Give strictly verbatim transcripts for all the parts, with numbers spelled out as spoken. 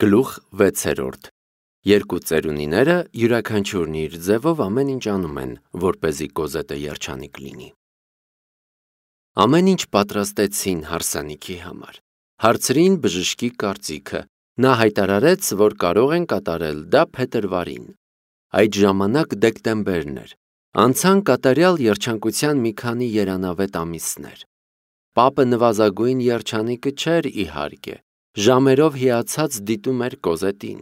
Գլուխ վեցերորդ Երկու ծերունիները յուրաքանչյուրն իր ձևով ամեն ինչ անում են, որպեսզի Կոզետը երջանիկ լինի։ Ամեն ինչ պատրաստեցին հարսանիքի համար։ Հարցրին բժշկի կարծիքը, նա հայտարարեց, որ կարող են կատարել դա փետրվարին։ Այդ ժամանակ դեկտեմբերն էր, անցան կատարյալ երջանկության մի քանի երանավետ ամիսներ։ Պապը նվազագույն երջանիկը չէր իհարկե, ժամերով հիացած դիտում էր Կոզետին։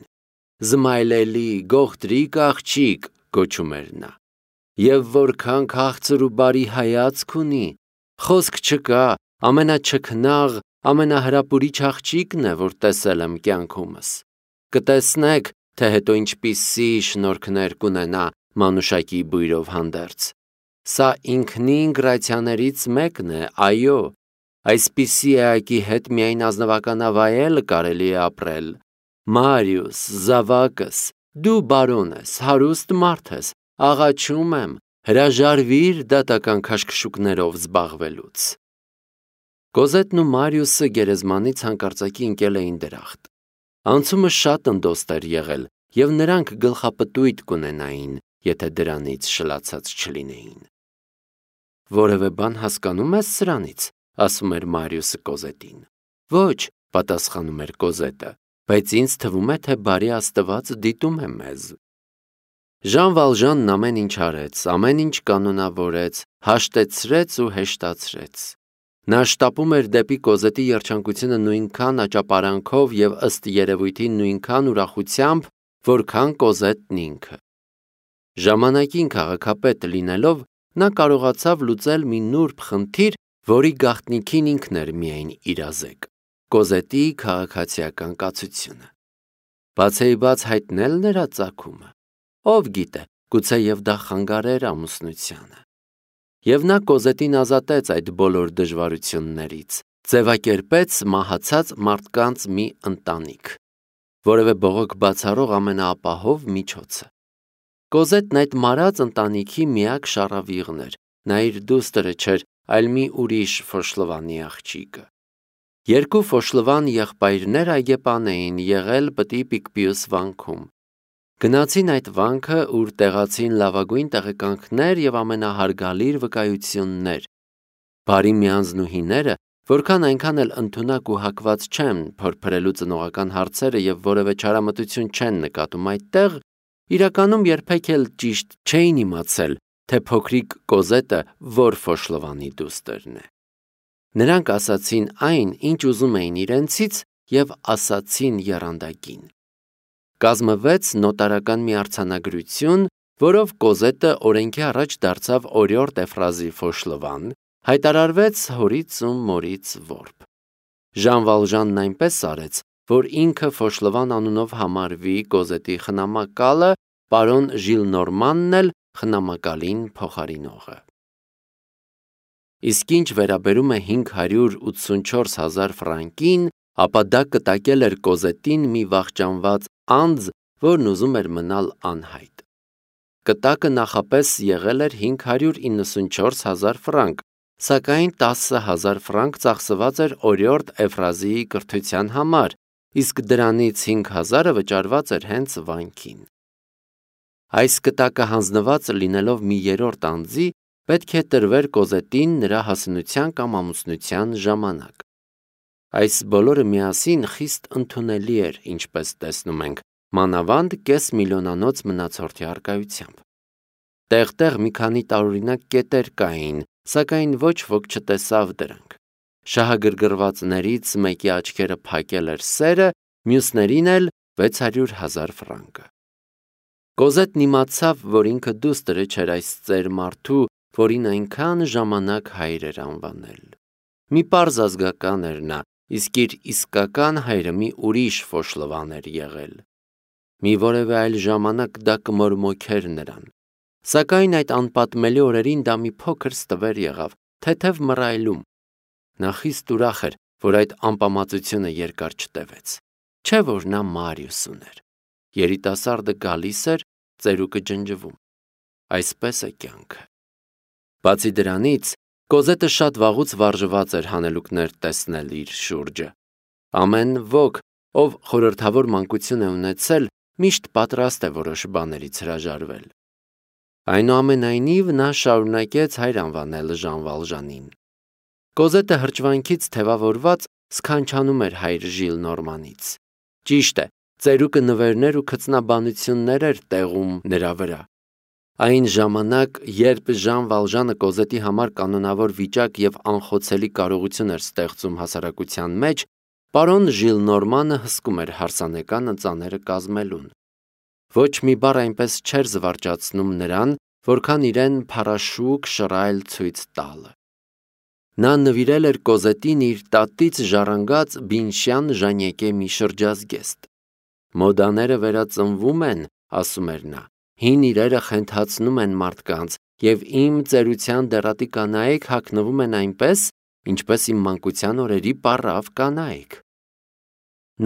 Զմայլելի, գողտրիկ աղջիկ, գոչում էր նա։ Եվ որքան քաղցր ու բարի հայացք ունի, խոսք չկա, ամենաչքնաղ, ամենահրապուրիչ աղջիկն է, որ տեսել եմ կյանքումս։ Կտեսնեք, թե հետո ինչպիսի շնորհքներ կունենա մանուշակի բույրով հանդերձ։ Սա ինքնին գրացիաներից մեկն է, այո, այսպիսի էակի հետ միայն ազնվականավայել կարելի է ապրել։ Մարիուս, զավակս, դու բարոն ես, հարուստ մարդ ես, աղաչում եմ, հրաժարվիր դատական քաշքշուկներով զբաղվելուց։ Կոզետն ու Մարիուսը գերեզմանից հանկարծակի ընկել էին դրախտ։ Անցումը շատ ընդոստ էր եղել, և նրանք գլխապտույտ կունենային, եթե դրանից շլացած չլինեին։ Որևէ բան հասկանում ես սրանից, ասում էր Մարիուսը Կոզետին։ Ոչ, պատասխանում էր Կոզետը, բայց ինձ թվում է, թե բարի Աստված դիտում է մեզ։ Ժան Վալժանն ամեն ինչ արեց, ամեն ինչ կանոնավորեց, հաշտեցրեց ու հեշտացրեց։ Նա շտապում էր դեպի Կոզետի երջանկությունը նույնքան աճապարանքով և ըստ երևույթին նույնքան ուրախությամբ, որքան Կոզետն ինքը։ Ժամանակին քաղաքապետ լինելով, նա կարողացավ լուծել մի նուրբ խնդիր, որի գաղտնիքին ինքն էր միայն իրազեկ՝ Կոզետի քաղաքացիական կացությունը։ Բացեիբաց հայտնել նրա ծագումը, ով գիտե, գուցեև դա խանգարեր ամուսնությանը։ Եվ նա Կոզետին ազատեց այդ բոլոր դժվարություններից, ձևակերպեց մահացած մարդկանց մի ընտանիք, որևէ բողոք բացառող ամենաապահով միջոցը։ Կոզետն այդ մարած ընտանիքի միակ շառավիղն էր, նա իր դուստրը չէր, այլ մի ուրիշ Ֆոշլովանի աղջիկը։ Երկու Ֆոշլովան եղբայրներ այգեպան էին եղել Պտի Պիկպիուս վանքում։ Գնացին այդ վանքը, ուր տեղացին լավագույն տեղեկանքներ և ամենահարգալից վկայություններ։ Բարի միանձնուհիները, որքան այնքան էլ ընդունակ ու հակված չեն փորփրելու ծնողական հարցերը և որևէ չարամտություն չեն նկատում այդտեղ, իրականում երբեք էլ ճիշտ չէին իմացել, թե փոքրիկ Կոզետը որ Ֆոշլովանի դուստրն է։ Նրանք ասացին այն, ինչ ուզում էին իրենցից և ասացին եռանդակին։ Կազմվեց նոտարական մի արձանագրություն, որով Կոզետը օրենքի առաջ դարձավ օրիորդ Էֆրազի Ֆոշլովան, հայտարարվեց հորից ու մորից որբ։ Ժան Վալժանն այնպես արեց, որ ինքը Ֆոշլովան անունով համարվի Կոզետի խնամակալը, պարոն Ժիլնորմանն էլ խնամակալին փոխարինողը։ Իսկ ինչ վերաբերում է հինգ հարյուր ութսունչորս հազար ֆրանկին, ապա դա կտակել էր Կոզետին մի վախճանված անձ, որն ուզում էր մնալ անհայտ։ Կտակը նախապես եղել էր հինգ հարյուր իննսունչորս հազար ֆրանկ, սակայն տասը հազար ֆրանկ ծախսված էր օրիորդ Էֆրազիի կրթության համար, իսկ դրանից հինգ հազարը վճարված էր հենց վանքին։ Այս կտակը հանձնված լինելով մի երրորդ անձի, պետք է տրվեր Կոզետին նրա հասունության կամ ամուսնության ժամանակ։ Այս բոլորը միասին խիստ ընդունելի էր, ինչպես տեսնում ենք, մանավանդ կես միլիոնանոց մնացորդի առկայությամբ։ Տեղ-տեղ մի քանի տարօրինակ կետեր կային, սակայն ոչ ոք չտեսավ դրանք։ Շահագրգռվածներից մեկի աչքերը փակել էր սերը, մյուսներին էլ վեց հարյուր հազար ֆրանկը։ Կոզետն իմացավ, որ ինքը դուստրը չէր այս ծեր մարդու, որին այնքան ժամանակ հայր էր անվանել։ Մի պարզ ազգական էր նա, իսկ իր իսկական հայրը մի ուրիշ Ֆոշլովան էր եղել։ Մի որևէ այլ ժամանակ դա կմորմոքեր նրան։ Սակայն այդ անպատմելի օրերին դա մի փոքր ստվեր եղավ, թեթև մռայլում։ Նա խիստ ուրախ էր, որ այդ անպամացությունը երկար չտևեց։ Չէ՞ որ նա Մարիուս ուներ։ Երիտասարդը գալիս էր, ծերուկը ջնջվում։ Այսպես է կյանքը։ Բացի դրանից, Կոզետը շատ վաղուց վարժված էր հանելուկներ տեսնել իր շուրջը։ Ամեն ոք, Ով խորհրդավոր մանկություն է ունեցել, միշտ պատրաստ է որոշ բաներից հրաժարվել։ Այնուամենայնիվ նա շարունակեց հայր անվանել Ժան Վալժանին։ Կոզետը հրճվանքից թևավորված սքանչանում էր հայր Ժիլնորմանից։ Ճիշտ է, ծերուկը նվերներ ու քծնաբանություններ էր տեղում նրա վրա։ Այն ժամանակ, երբ Ժան Վալժանը Կոզետի համար կանոնավոր վիճակ և անխոցելի կարողություն էր ստեղծում հասարակության մեջ, պարոն Ժիլնորմանը հսկում էր հարսանեկան ընծաները կազմելուն։ Ոչ մի բառ այնպես չէր զվարճացնում նրան, որքան իրեն փառաշուկ շռայլ ցույց տալը։ Նա նվիրել էր Կոզետին իր տատից ժառանգած Բինշյան Ժանյեկե մի շրջազգեստ։ Մոդաները վերածնվում են, ասում էր նա, հին իրերը խենթացնում են մարդկանց, և իմ ծերության դեռատի կանայք հագնվում են այնպես, ինչպես իմ մանկության օրերի պառավ կանայք։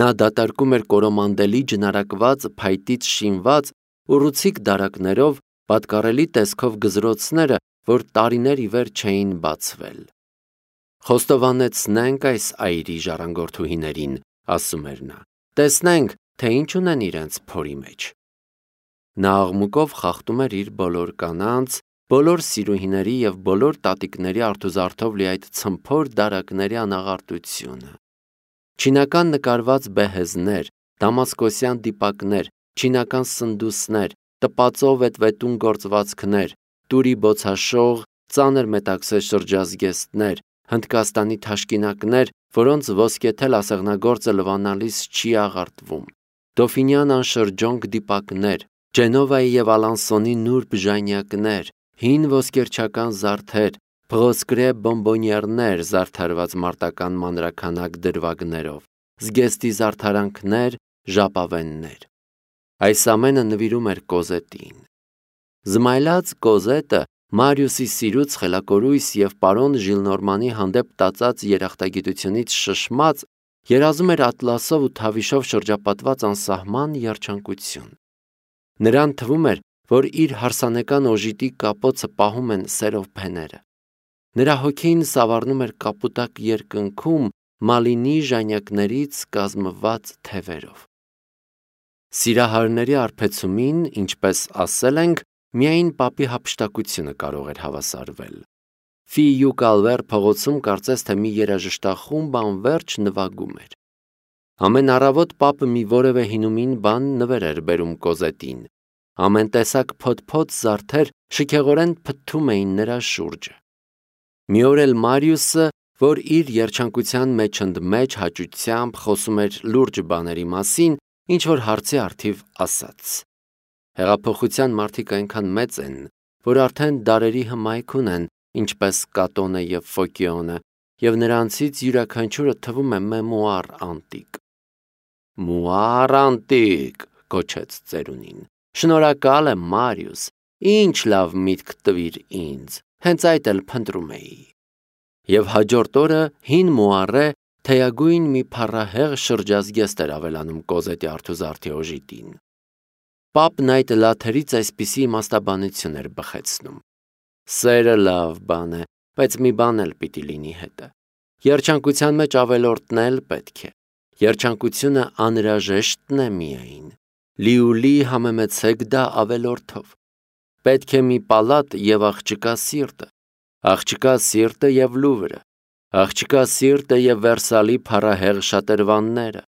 Նա դատարկում էր կորոմանդելի ջնարակված փայտից շինված ուռուցիկ դարակներով պատկառելի տեսքով գզրոցները, որ տարիներ ի վեր չէին բացվել։ Խոստովանեցնենք այս այրի ժառանգորդուհիներին, ասում էր նա, տեսնենք, թե ինչ ունեն իրենց փորի մեջ։ Նա աղմուկով խախտում էր իր բոլոր կանանց, բոլոր սիրուհիների և բոլոր տատիկների արթուզարդով լի այդ ցմփոր դարակների անաղարտությունը։ Չինական նկարված բեհեզներ, դամասկոսյան դիպակներ, չինական սնդուսներ, տպածով վետվետուն գործվածքներ, տուրի բոցաշող, ծանր մետաքսե շրջազգեստներ, Հնդկաստանի թաշկինակներ, որոնց ոսկեթել ասեղնագործը լվանալիս չի աղարտվում, Դոֆինյան անշրջոնք դիպակներ, Ջենովայի և Ալանսոնի նուրբ ժանյակներ, հին ոսկերչական զարդեր, փղոսկրե բոմբոնյերներ զարդարված մարտական մանրաքանակ դրվագներով, զգեստի զարդարանքներ, ժապավեններ։ Այս ամենը նվիրում էր Կոզետին։ Զմայլած Կոզետը Մարիուսի սիրուց խելակորույս և պարոն Ժիլնորմանի հանդեպ տածած երախտագիտությունից շշմած, երազում էր ատլասով ու թավիշով շրջապատված անսահման երջանկություն։ Նրան թվում էր, որ իր հարսանեկան օժիտի կապոցը պահում են սերով փեները։ Նրա հոգին սավառնում էր կապուտակ երկնքում մալինի ժանյակներից կազմված թևերով։ Սիրահարների արբեցումին, ինչպես ասել ենք, միայն պապի հափշտակությունը կարող էր հավասարվել։ Ֆիյու Կալվեր փողոցում կարծես թե մի երաժշտախումբ անվերջ նվագում էր։ Ամեն առավոտ պապը մի որևէ հինումին բան նվեր էր բերում Կոզետին։ Ամեն տեսակ փոթփոթ զարդեր շքեղորեն փթթում էին նրա շուրջը։ Մի օր էլ Մարիուսը, որ իր երջանկության մեջ ընդմեջ հաճությամբ խոսում էր լուրջ բաների մասին, ինչ-որ հարցի առթիվ ասաց. Հեղափոխության մարդիկ այնքան մեծ են, որ արդեն դարերի հմայք ունեն, ինչպես Կատոնը և Ֆոկիոնը, և նրանցից յուրաքանչյուրը թվում է մեմուար անտիկ։ Մուար անտիկ, գոչեց ծերունին, շնորհակալ եմ Մարիուս, ինչ լավ միտք տվիր ինձ, հենց այդ էլ փնտրում էի։ Եվ հաջորդ օրը հին մուառե թեյագույն մի փառահեղ շրջազգեստ էր ավելանում Կոզետի արթուզարդի օժիտին։ Պապն այդ լաթերից այսպիսի իմաստաբանություն էր բխեցնում. Սերը լավ բան է, բայց մի բան էլ պիտի լինի հետը։ Երջանկության մեջ ավելորդն էլ պետք է։ Երջանկությունը անհրաժեշտն է միայն։ Լիուլի համեմեցեք դա ավելորդով։ Պետք է մի պալատ և աղջկա սիրտը, աղջկա սիրտը և Լուվրը, աղջկա սիրտը և Վերսալի փառահեղ շատրվանները։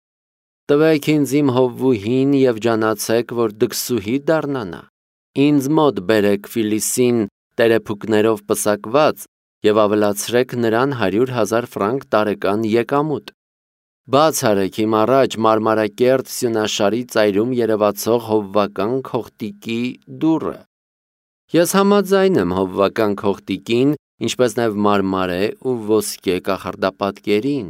Տվեք ինձ իմ հովվուհին և ջանացեք, որ դքսուհի դառնանա։ Ինձ մոտ բերեք Ֆիլիսին տերեփուկներով պսակված և ավելացրեք նրան հարյուր հազար ֆրանկ տարեկան եկամուտ։ Բաց արեք իմ առաջ մարմարակերտ սյունաշարի ծայրում երևացող հովվական քողտիկի դուռը։ Ես համաձայն եմ հովվական քողտիկին, ինչպես նաև մարմարե ու ոսկե կախարդապատկերին։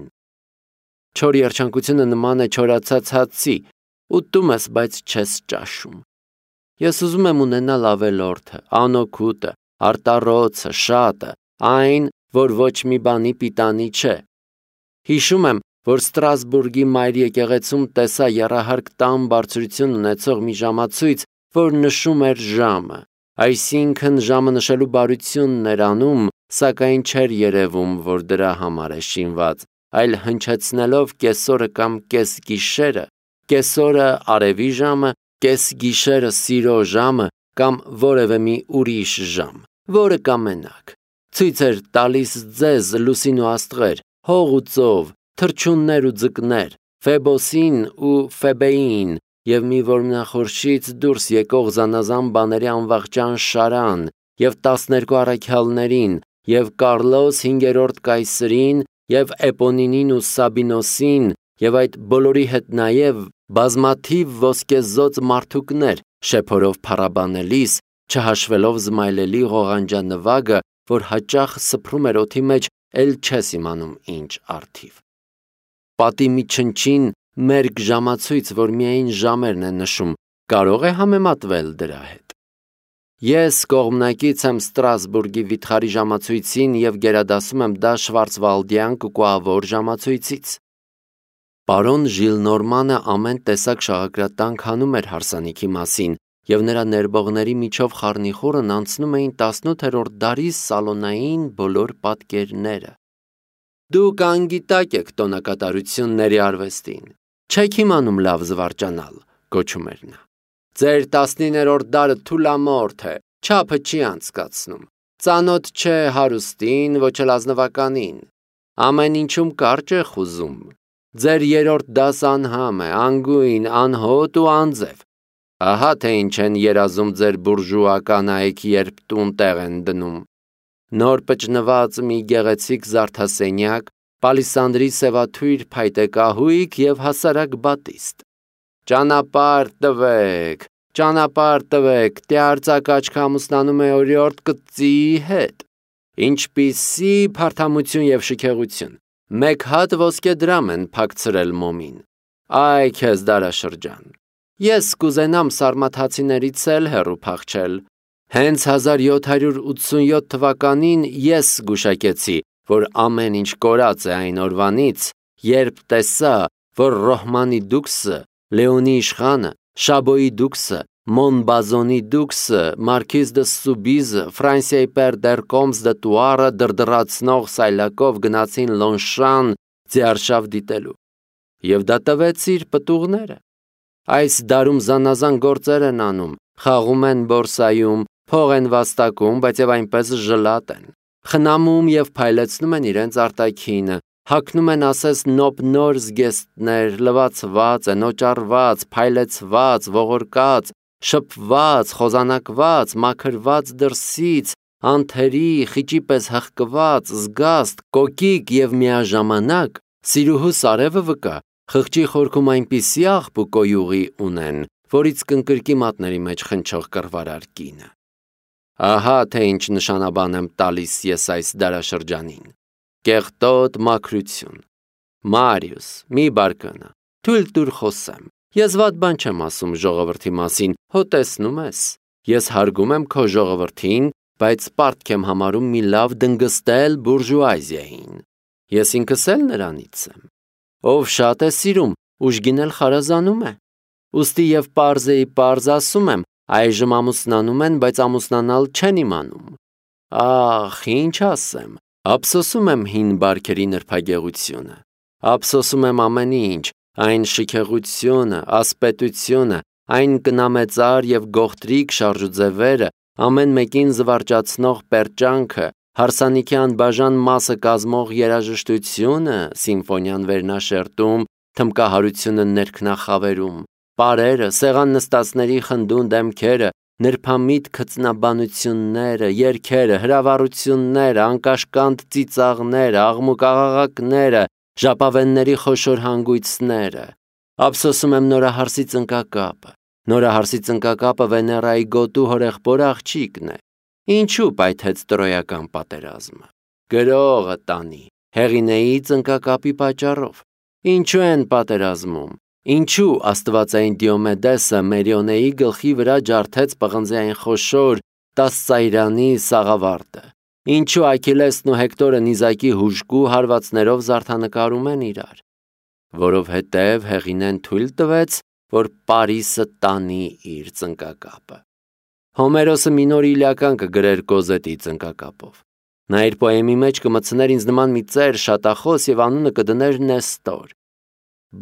Չոր երջանկությունը նման է չորացած հացի, ուտում ես, բայց չես ճաշում։ Ես ուզում եմ ունենալ ավելորդը, անօգուտը, արտառոցը, շատը, այն, որ ոչ մի բանի պիտանի չէ։ Հիշում եմ, որ Ստրասբուրգի մայր եկեղեցում տեսա եռահարկ տան բարձրություն ունեցող մի ժամացույց, որ նշում էր ժամը, այսինքն ժամը նշելու բարությունն էր անում, սակայն չէր երևում, որ դրա համար է շինված, այլ հնչեցնելով կեսօրը կամ կեսգիշերը, կեսօրը արևի ժամը, կեսգիշերը սիրո ժամը կամ որևէ մի ուրիշ ժամ, որը կամենաք։ Ցույց էր տալիս ձեզ լուսին ու աստղեր, հող ու ծով, թռչուններ ու ձկներ, Ֆեբոսին ու Ֆեբեին և մի որմնախորշից դուրս եկող զանազան բաների անվախճան շարան և տասներկու առաքյալներին և Կառլոս հինգերորդ կայսրին և Էպոնինին ու Սաբինոսին և այդ բոլորի հետ նաև բազմաթիվ ոսկեզօծ մարդուկներ, շեփորով փառաբանելիս, չհաշվելով զմայլելի ղողանջանվագը, որ հաճախ սփռում էր օդի մեջ, էլ չես իմանում ինչ առթիվ։ Պատի մի չնչին մերկ ժամացույց, որ միայն ժամերն է նշում, կարող է համեմատվել դրա հետ։ Ես կողմնակից եմ Ստրասբուրգի վիթխարի ժամացույցին և գերադասում եմ դա շվարցվալդյան կուկուավոր ժամացույցից։ Պարոն Ժիլնորմանը ամեն տեսակ շաղակրատանք հանում էր հարսանիքի մասին, և նրա ներբողների միջով խառնիխուռն անցնում էին տասնութերորդ դարի սալոնային բոլոր պատկերները։ Դուք անգիտակ եք տոնակատարությունների արվեստին, չեք իմանում լավ զվարճանալ, գոչում էր նա։ Ձեր տասնիններորդ դարը թուլամորթ է, չափը չի անցկացնում, ծանոթ չէ հարուստին, ոչ էլ ազնվականին, ամեն ինչում կարճ է խուզում, ձեր երրորդ դասը անհամ է, անգույն, անհոտ ու անձև։ Ահա թե ինչ են երազում ձեր բուրժուա կանայք, երբ տուն տեղ են դնում։ Նոր պճնված մի գեղեցիկ զարդասենյակ, պալիսանդրի սևաթույր փայտե կահույք և հասարակ բատիստ։ Ճանապարհ տվեք, ճանապարհ տվեք, տյարծակ աչքը ամուսնանում է օրիորդ կծիի հետ։ Ինչպիսի փարթամություն և շքեղություն, մեկ հատ ոսկե դրամ են փակցրել մոմին։ Այ քեզ դարաշրջան։ Ես կուզենամ սարմաթացիներից էլ հեռու փախչել։ Հենց հազար յոթ հարյուր ութսունյոթ թվականին ես զգուշակեցի, որ ամեն ինչ կորած է այն օրվանից, երբ տեսա, որ Ռոհմանի դուքսը, Լեոնի իշխանը, Շաբոյի դուքսը, Մոնբազոնի դուքսը, Մարքիզ դը Սուբիզը, Ֆրանսիայի պեր դեր Կոմս դը Տուարը դրդռացնող սայլակով գնացին Լոնշան ձիարշավ դիտելու։ Եվ դա տվեց իր պտուղները։ Այս դարում զանազան գործեր են անում, խաղում են բորսայում, փող են վաստակում, բայց և այնպես ժլատ են, խնամում և փայլեցնում են իրենց արտաքինը, հագնում են ասես նոպ-նոր զգեստներ, լվացված են, օճառված, փայլեցված, ողորկած, շփված, խոզանակված, մաքրված դրսից, անթերի, խիճի պես հղկված, զգաստ, կոկիկ և միաժամանակ սիրուհու սարևը վկա, խղճի խորքում այնպիսի աղբ ու կոյուղի ունեն, որից կնկրկի մատների մեջ խնչող կռվարար կինը։ Ահա թե ինչ նշանաբան եմ տալիս ես այս դարաշրջանին։ Կեղտոտ մաքրություն։ Մարիուս, մի բարկանա, թույլ տուր խոսեմ։ Ես վատ բան չեմ ասում ժողովրդի մասին, հո տեսնում ես։ Ես հարգում եմ քո ժողովրդին, բայց պարտք եմ համարում մի լավ դնգստել բուրժուազիային։ Ես ինքս էլ նրանից եմ։ Ով շատ է սիրում, ուժգին էլ խարազանում է։ Ուստի և պարզեի պարզ ասում եմ, այժմ ամուսնանում են, բայց ամուսնանալ չեն իմանում։ Ախ, ինչ ասեմ, ափսոսում եմ հին բարքերի նրբագեղությունը, ափսոսում եմ ամեն ինչ, այն շքեղությունը, ասպետությունը, այն կնամեծար և գողտրիկ շարժուձևերը, ամեն մեկին զվարճացնող պերճանքը, հարսանիքի անբաժան մասը կազմող երաժշտությունը, սիմֆոնիան վերնաշերտում, թմկահարությունը ներքնախավերում, պարերը, սեղան նստածների խնդուն դեմքերը, նրբամիտ քծնաբանությունները, երգերը, հրավառությունները, անկաշկանդ ծիծաղները, աղմուկաղաղակները, ժապավենների խոշոր հանգույցները։ Ափսոսում եմ նորահարսի ծնկակապը։ Նորահարսի ծնկակապը Վեներայի գոտու հորեղբոր աղջիկն է։ Ինչու պայթեց տրոյական պատերազմը։ Գրողը տանի, Հեղինեի ծնկակապի պատճառով։ Ինչու են պատերազմում։ Ինչու աստվածային Դիոմեդեսը Մերիոնեի գլխի վրա ջարդեց պղնձի այն խոշոր տասծայրանի սաղավարտը։ Ինչու Աքիլեսն ու Հեկտորը նիզակի հուժկու հարվածներով զարդանկարում են իրար։ Որովհետև Հեղինեն թույլ տվեց, որ Պարիսը տանի իր ծնկակապը։ Հոմերոսը մի նոր իլիական կգրեր Կոզետի ծնկակապով։ Նա իր պոեմի մեջ կմտցներ ինձ նման մի ծեր շատախոս եւ անունը կդներ Նեստոր։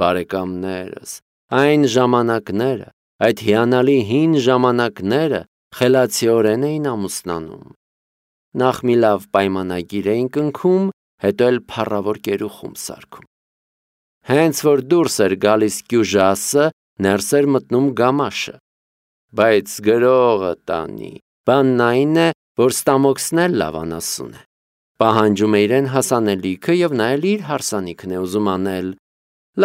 Բարեկամներս, այն ժամանակները, այդ հիանալի հին ժամանակները խելացիորեն էին ամուսնանում։ Նախ մի լավ պայմանագիր էին կնքում, հետո էլ փառավոր կերուխում սարքում։ Հենց որ դուրս էր գալիս գյուժասը, ներս էր մտնում գամաշը։ Բայց գրողը տանի, բանն այն է, որ Ստամոքսն էլ լավ անասուն է։ Պահանջում է իրեն հասանելիքը եւ նա էլ իր հարսանիքն է ուզում անել։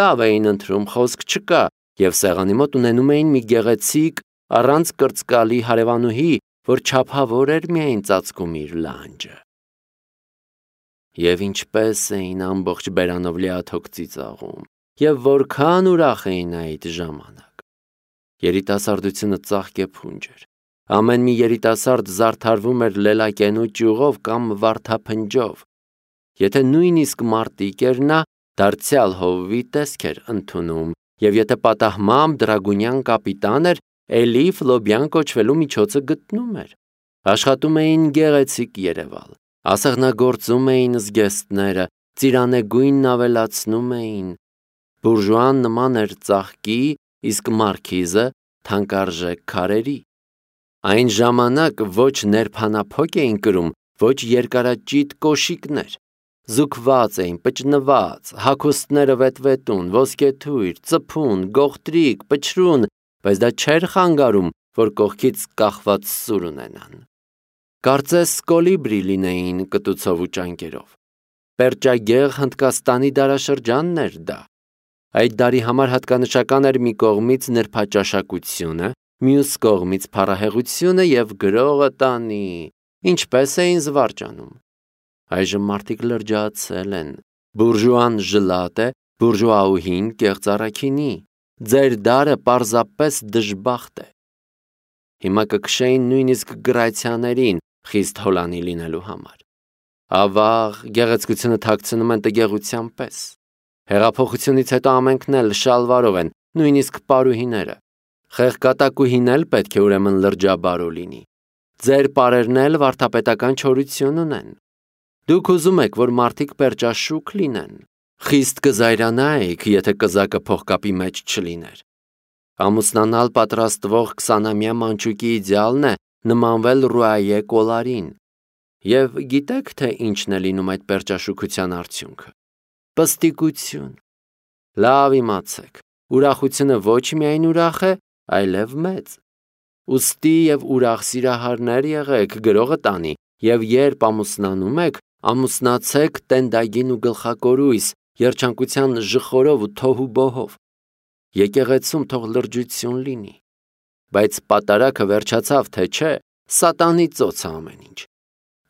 Լավ էին ընտրում, խոսք չկա, եւ սեղանի մոտ ունենում էին մի գեղեցիկ, առանց կրծկալի հարևանուհի, որ չափավոր էր միայն ծածկում իր լանջը։ Եվ ինչպես էին ամբողջ բերանով լիաթոք ծիծաղում, եւ որքան ուրախ էին այդ ժամանակ։ Երիտասարդությունը ծաղկ է փունջ էր։ Ամեն մի երիտասարդ զարդարվում էր լելակենու ճյուղով կամ վարդափնջով։ Եթե նույնիսկ մարտիկ էր նա, դարձյալ հովվի տեսք էր ընդունում, եւ եթե պատահմամբ դրագունյան կապիտան էր, էլի Ֆլոբյան կոչվելու միջոցը գտնում էր։ Աշխատում էին գեղեցիկ Երևալ, ասեղնագործում էին զգեստները, ծիրանեգույնն ավելացնում էին։ Բուրժուան նման էր ծաղկի, իսկ մարքիզը թանկարժեք քարերի։ Այն ժամանակ ոչ ներփանափոկ էին կրում, ոչ երկարաճիտ կոշիկներ։ Զուգված էին, պճնված, հագուստները վետվետուն, ոսկեթույր, ծփուն, գողտրիկ, պչրուն, բայց դա չէր խանգարում, որ կողքից կախված սուր ունենան։ Կարծես կոլիբրի լինեին կտուցով ու ճանկերով։ Պերճագեղ Հնդկաստանի դարաշրջանն էր դա։ Այդ դարի համար հատկանշական էր մի կողմից նրբաճաշակությունը, մյուս կողմից փառահեղությունը եւ գրողը տանի, ինչպես էին զվարճանում։ Այժմ մարդիկ լրջացել են։ Բուրժուան ժլատ է, բուրժուաուհին կեղծ առաքինի։ Ձեր դարը պարզապես դժբախտ է։ Հիմա կքշեին նույնիսկ գրացիաներին խիստ հոլանի լինելու համար։ Ավաղ գեղեցկությունը թաքցնում են տգեղության պես։ Հեղափոխությունից հետո ամենքն էլ շալվարով են, նույնիսկ պարուհիները։ Խեղկատակուհին էլ պետք է ուրեմն լրջաբարո լինի։ Ձեր պարերն էլ վարդապետական չորություն ունեն։ Դուք ուզում եք, որ մարդիկ պերճաշուք լինեն։ Խիստ կզայրանայիք, եթե կզակը փողկապի մեջ չլիներ։ Ամուսնանալ պատրաստվող քսանամյա մանչուկի իդեալն է նմանվել Ռուայե կոլարին։ Եվ գիտեք, թե ինչն է լինում այդ պերճաշուքության արդյունքը։ Պստիկություն։ Լավ իմացեք, ուրախությունը ոչ միայն ուրախ է, այլև մեծ։ Ուստի եւ ուրախ սիրահարներ եղեք, գրողը տանի, եւ երբ ամուսնանում եք, ամուսնացեք տենդագին ու գլխակորույս, երջանկության ժխորով ու թոհուբոհով։ Եկեղեցում թող լրջություն լինի։ Բայց պատարակը վերջացավ, թե չէ, սատանի ծոցը ամեն ինչ։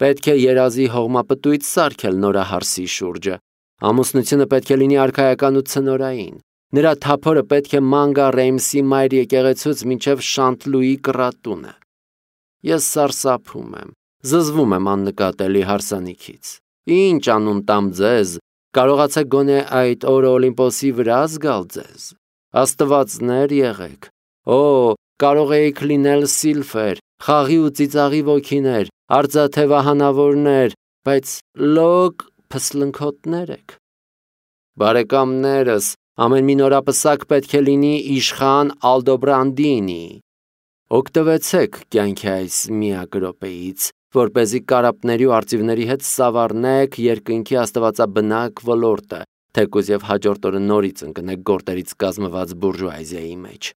Պետք է երազի հողմապտույտ սարքել նորահարսի շուրջը։ Ամուսնությունը պետք է լինի արքայական ու ցնորային։ Նրա թափորը պետք է ման գա Ռեյմսի մայր եկեղեցուց մինչև Շանտլուի կռատունը։ Ես սարսափում եմ, զզվում եմ աննկատելի հարսանիքից։ Ինչ անուն տամ ձեզ, կարողացեք գոնե այդ օրը Օլիմպոսի վրա զգալ ձեզ։ Աստվածներ եղեք։ Օ, կարող էիք լինել սիլֆեր, խաղի ու ծիծաղի ոգիներ, արծաթե վահանավորներ, բայց լոկ փսլնքոտներ եք։ Բարեկամներս, ամեն մի նորապսակ պետք է լինի իշխան Ալդոբրանդինի։ Օգտվեցեք կյանքի այս միակ րոպեից, որպեսզի կարապների ու արծիվների հետ սավառնեք երկնքի աստվածաբնակ ոլորտը, թեկուզ եւ հաջորդ օրը նորից ընկնեք գորտերից կազմված բուրժուազիայի մեջ։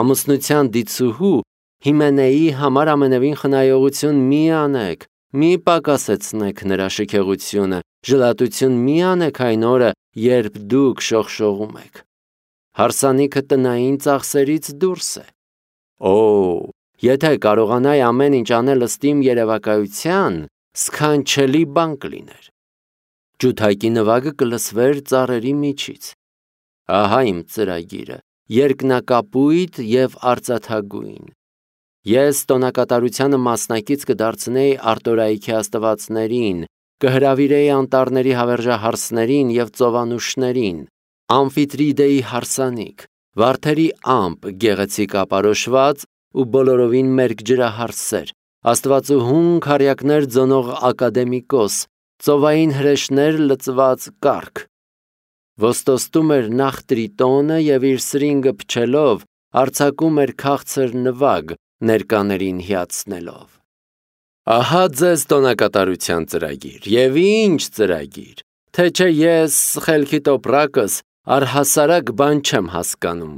Ամուսնության դիցուհու Հիմենեի համար ամենևին խնայողություն մի անեք, մի պակասեցնեք նրա շքեղությունը, ժլատություն մի անեք այն օրը, երբ դուք շողշողում եք։ Հարսանիքը տնային ծախսերից դուրս է։ Օ, եթե կարողանայի ամեն ինչ անել ըստ իմ երևակայության, սքանչելի բան կլիներ։ Ջութակի նվագը կլսվեր ծառերի միջից։ Ահա իմ ծրագիրը, երկնակապույտ եւ արծաթագույն։ Ես տոնակատարությանը մասնակից կդարձնեի արտորայքի աստվածներին, կհրավիրեի անտառների հավերժահարսներին եւ ծովանուշներին, Ամֆիտրիդեի հարսանիք, վարդերի ամպ գեղեցիկ ապարոշված ու բոլորովին մերկ ջրահարսեր, աստվածուհուն քարյակներ ձոնող ակադեմիկոս, ծովային հրեշներ լծված կառք։ Ոստոստում էր նախ տրիտոնը և իր սրինգը փչելով, արձակում էր քաղցր նվագ, ներկաներին հիացնելով։ Ահա ձեզ տոնակատարության ծրագիր, և ինչ ծրագիր, թե չէ ես խելքի տոպրակս առհասարակ բան չեմ հասկանում։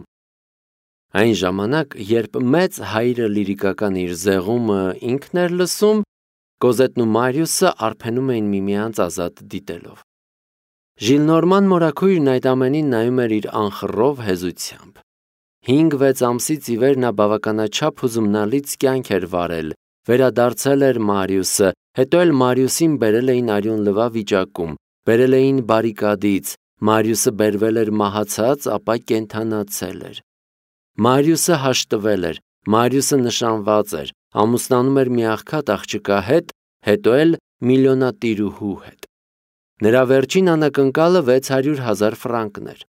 Այն ժամանակ, երբ մեծ հայրը լիրիկական իր զեղումը ինքն էր լսում, Կոզետն ու Մարիուսը արփենում էին միմյանց ազատ դիտելով։ Ժիլնորման մորաքույրն այդ ամենին նայում էր իր անխռով հեզությամբ։ Հինգ-վեց ամսից ի վեր նա բավականաչափ հուզումնալից կյանք էր վարել, վերադարձել էր Մարիուսը, հետո էլ Մարիուսին բերել էին արյուն լվա վիճակում, բերել էին բարիկադից, Մարիուսը բերվել էր մահացած, ապա կենդանացել էր։ Մարիուսը հաշտվել էր, Մարիուսը նշանված էր, ամուսնանում էր մի աղքատ աղջկա հետ, հետո էլ միլիոնատիրուհու հետ։ Նրա վերջին անակնկալը վեց հարյուր հազար ֆրանկն էր։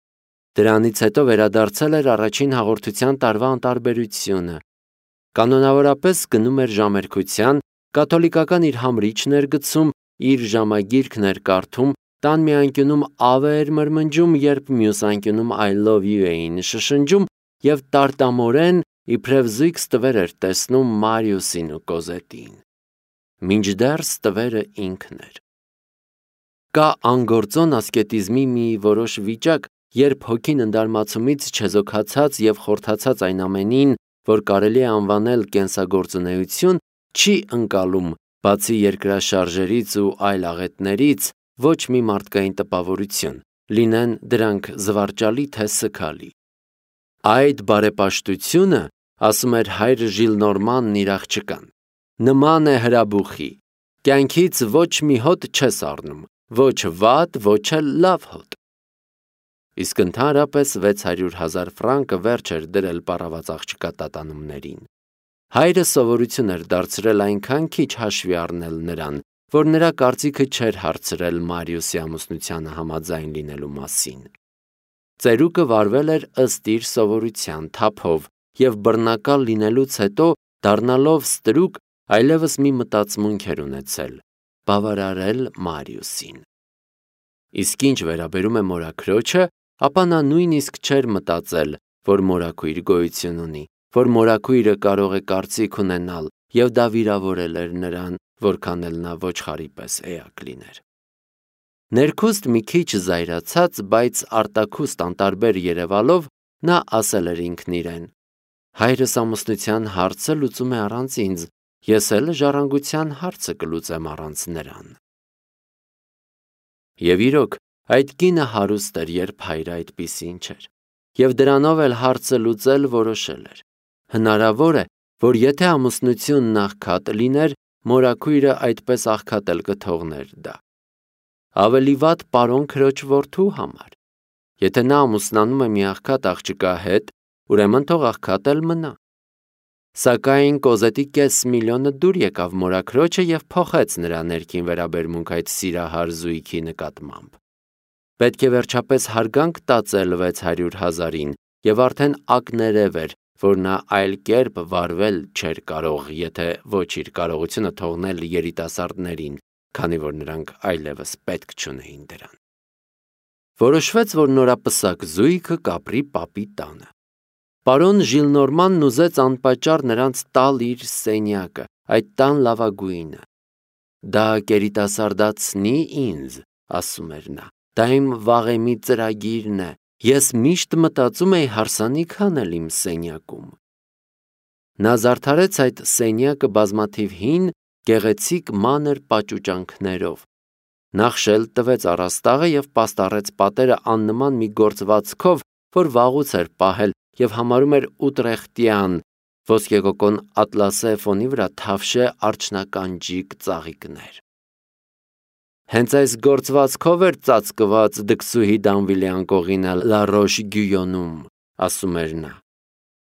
Դրանից հետո վերադարձել էր առաջին հաղորդության տարվա անտարբերությունը։ Կանոնավորապես գնում էր ժամերգության, կաթոլիկական իր համրիչն էր գցում, իր ժամագիրքն էր կարդում, տան մի անկյունում ավ էր մրմնջում, երբ մյուս անկյունում I love you էին շշնջում և տարտամորեն իբրև զույգ ստվեր էր տեսնում Մարիուսին ու Կոզետին։ Մինչդեռ ստվերը ինքն էր։ Կա անգործոն ասկետիզմի մի որոշ վիճակ, երբ հոգին ընդարմացումից չեզոքացած և խորթացած այն ամենին, որ կարելի է անվանել կենսագործունեություն, չի ընկալում, բացի երկրաշարժերից ու այլ աղետներից, ոչ մի մարդկային տպավորություն, լինեն դրանք զվարճալի թե սգալի։ Այդ բարեպաշտությունը, ասում էր հայր Ժիլնորմանն իր աղջկան, նման է հրաբուխի, կյանքից ոչ մի հոտ չես առնում, ոչ վատ, ոչ էլ լավ հոտ։ Իսկ ընդհանրապես վեց հարյուր հազար ֆրանկը վերջ էր դրել պառաված աղջկա տատանումներին։ Հայրը սովորություն էր դարձրել այնքան քիչ հաշվի առնել նրան, որ նրա կարծիքը չէր հարցրել Մարիուսի ամուսնությանը համաձայն լինելու մասին։ Ծերուկը վարվել էր ըստ իր սովորության թափով և բռնակալ լինելուց հետո, դառնալով ստրուկ, այլևս մի մտածմունք էր ունեցել՝ բավարարել Մարիուսին։ Իսկ ինչ վերաբերում է մորաքրոջը, ապա նա նույնիսկ չէր մտածել, որ մորաքույր գոյություն ունի, որ մորաքույրը կարող է կարծիք ունենալ, և դա վիրավորել էր նրան, որքան էլ նա ոչխարի պես էակ լիներ։ Ներքուստ մի քիչ զայրացած, բայց արտաքուստ անտարբեր երևալով, նա ասել էր ինքն իրեն. հայրս ամուսնության հարցը լուծում է առանց ինձ, ես էլ ժառանգության հարցը կլուծեմ առանց նրան։ Եվ իրոք, այդ կինը հարուստ էր, երբ հայրը այդպիսին չէր, և դրանով էլ հարցը լուծել որոշել էր։ Հնարավոր է, որ եթե ամուսնությունն աղքատ լիներ, մորաքույրը այդպես աղքատ էլ կթողներ դա։ Ավելի վատ պարոն քրոջ որդու համար։ Եթե նա ամուսնանում է մի աղքատ աղջկա հետ, ուրեմն թող աղքատ էլ մնա։ Սակայն Կոզետի կես միլիոնը դուր եկավ մորաքրոջը և փոխեց նրա ներքին վերաբերմունք այդ սիրահար զույգի նկատմամբ։ Պետք է վերջապես հարգանք տածել վեց հարյուր հազարին, և արդեն ակներև էր, որ նա այլ կերպ վարվել չէր կարող, եթե ոչ իր կարողությունը թողնել երիտասարդներին, քանի որ նրանք այլևս պետք չունեին դրան։ Որոշվեց, որ նորապսակ զույգը կապրի պապի տանը։ Պարոն Ժիլնորմանն ուզեց անպատճառ նրանց տալ իր սենյակը, այդ տան լավագույնը։ Դա կերիտասարդացնի ինձ, ասում էր նա, դա իմ վաղեմի ծրագիրն է, ես միշտ մտածում էի հարսանիք անել իմ սենյակում։ Նա զարդարեց այդ սենյակը բազմաթիվ հին, գեղեցիկ մանր պաճուճանքներով։ Նախ շել տվեց առաստաղը և պաստառեց պատերը աննման մի գործվածքով, որ վաղուց էր պահել և համարում էր ուտրեխտյան, ոսկեգոգոն ատլասե ֆոնի վրա թավշե արջնականջիկ ծաղիկներ։ Հենց այս գործվածքով էր ծածկված դքսուհի Դանվիլի անկողինը Լա Ռոշ Գյույոնում, ասում էր նա։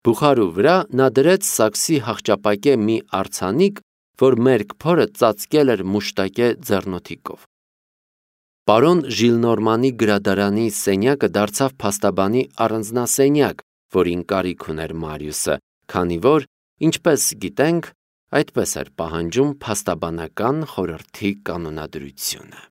Բուխարու վրա նա դրեց սաքսի հախճապակե մի արձանիկ, որ մերկ փորը ծածկել էր մուշտակե ձեռնոթիկով։ Պարոն Ժիլնորմանի գրադարանի սենյակը դարձավ փաստաբանի առանձնասենյակ, որին կարիք ուներ Մարիուսը, քանի որ, ինչպես գիտենք, Այդպես էր պահանջում փաստաբանական խորհրդի կանոնադրությունը։